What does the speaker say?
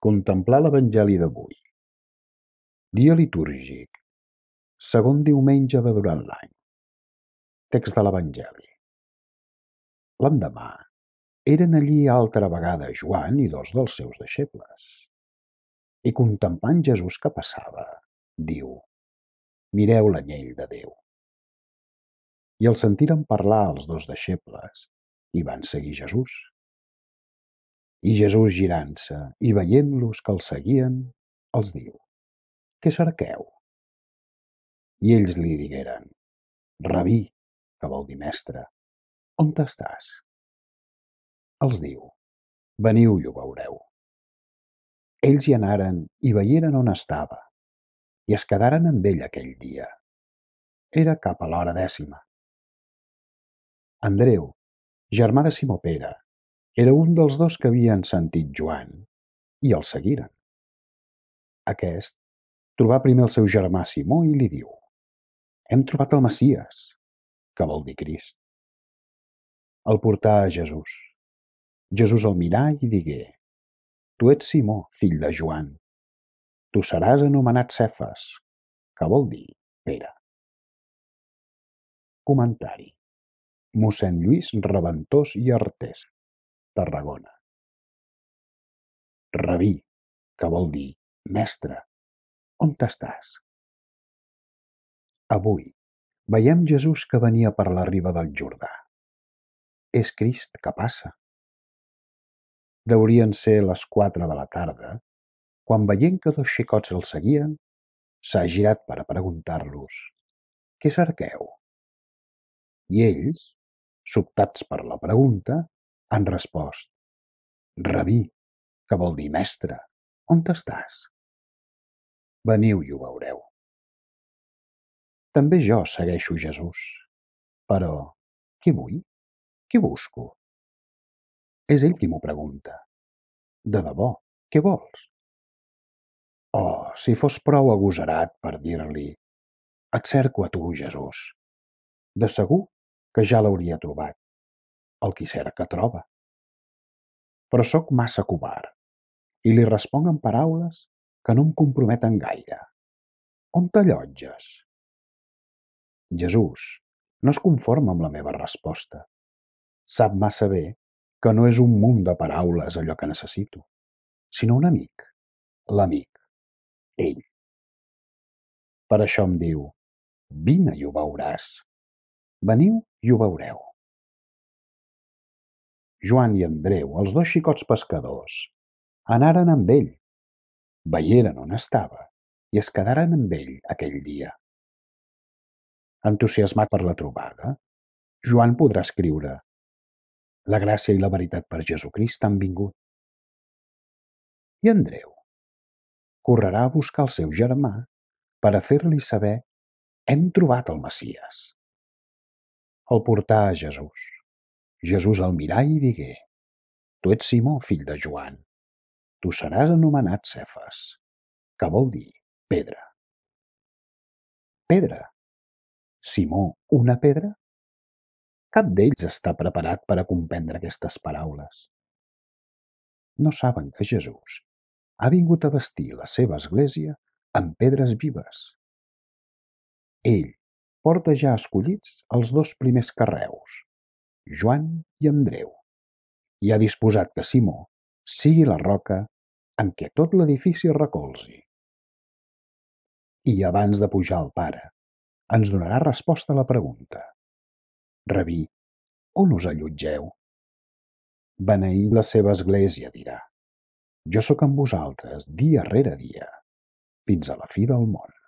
Contemplar l'Evangeli d'avui. Dia litúrgic. Segon diumenge de durant l'any. Text de l'Evangeli. L'endemà eren allí altra vegada Joan i dos dels seus deixebles. I contemplant Jesús que passava, diu: Mireu l'anyell de Déu. I el sentiren parlar els dos deixebles i van seguir Jesús. I Jesús, girant-se i veient-los que els seguien, els diu: Què cerqueu? I ells li digueren: Rabí, que vol dir mestre, on estàs? Els diu: Veniu i ho veureu. Ells hi anaren i veieren on estava, i es quedaren amb ell aquell dia. Era cap a l'hora 10. Andreu, germà de Simó Pere, era un dels dos que havien sentit Joan, i el seguiren. Aquest trobà primer el seu germà Simó i li diu: Hem trobat el Messies, que vol dir Crist. El portà a Jesús. Jesús el mirà i digué: Tu ets Simó, fill de Joan. Tu seràs anomenat Cefas, que vol dir Pere. Comentari. Mossèn Lluís Reventós i Artest, Tarragona. Rabí, que vol dir mestre, on estàs? Avui veiem Jesús que venia per la riba del Jordà. És Crist que passa. Deurien ser les 4 de la tarda, quan veient que dos xicots el seguien, s'ha girat per a preguntar-los: Què cerqueu? I ells, sobtats per la pregunta, han respost: Rabí, que vol dir mestre, on estàs? Veniu i ho veureu. També jo segueixo Jesús. Però què vull? Què busco? És ell qui m'ho pregunta. De debò, què vols? Oh, si fos prou agosarat per dir-li: Et cerco a tu, Jesús. De segur que ja l'hauria trobat. El qui cerca troba. Però sóc massa covard i li responc amb paraules que no em comprometen gaire. On t'allotges? Jesús no es conforma amb la meva resposta. Sap massa bé que no és un munt de paraules allò que necessito, sinó un amic, l'amic, ell. Per això em diu: Vine i ho veuràs. Veniu i ho veureu. Joan i Andreu, els dos xicots pescadors, anaren amb ell, veieren on estava i es quedaren amb ell aquell dia. Entusiasmat per la trobada, Joan podrà escriure: La gràcia i la veritat per Jesucrist han vingut. I Andreu correrà a buscar el seu germà per a fer-li saber: Hem trobat el Messies. El portà a Jesús. Jesús el mirà i digué: Tu ets Simó, fill de Joan. Tu seràs anomenat Cefas, que vol dir pedra. Pedra? Simó, una pedra? Cap d'ells està preparat per a comprendre aquestes paraules. No saben que Jesús ha vingut a bastir la seva església amb pedres vives. Ell porta ja escollits els dos primers carreus, Joan i Andreu, i ha disposat que Simó sigui la roca en què tot l'edifici es recolzi. I abans de pujar al Pare, ens donarà resposta a la pregunta: Rabí, on us allotgeu? Beneint la seva església, dirà: Jo sóc amb vosaltres dia rere dia, fins a la fi del món.